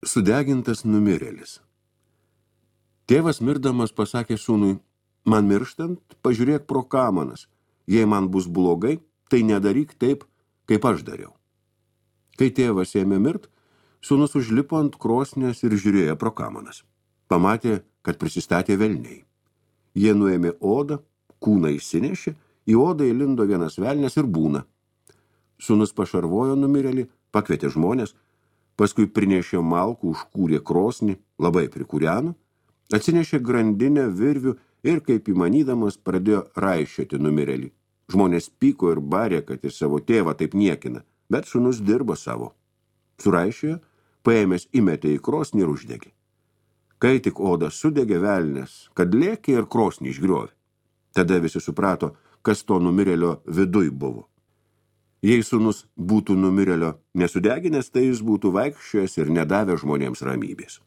Sudegintas numirėlis. Tėvas mirdamas pasakė sūnui, man mirštant, pažiūrėk pro kamanas. Jei man bus blogai, tai nedaryk taip, kaip aš dariau. Kai tėvas ėmė mirt, sūnus užlipo ant krosnės ir žiūrėjo pro kamanas. Pamatė, kad prisistatė velniai. Jie nuėmė odą, kūną išsinešė, į odą įlindo vienas velnias ir būna. Sūnus pašarvojo numirėlį, pakvietė žmonės, paskui prinešė malkų, užkūrė krosnį, labai prikūreno, atsinešė grandinę, virvių ir, kaip įmanydamas, pradėjo raišioti numirėlį. Žmonės pyko ir barė, kad ir savo tėvą taip niekina, bet sūnus dirbo savo. Suraišiojo, paėmęs įmetė į krosnį ir uždegė. Kai tik oda sudegė velnias, kad lėkė ir krosnį išgriovė. Tada visi suprato, kas to numirėlio viduj buvo. Jei sūnus būtų numirėlio nesudeginęs, tai jis būtų vaikščiojęs ir nedavę žmonėms ramybės.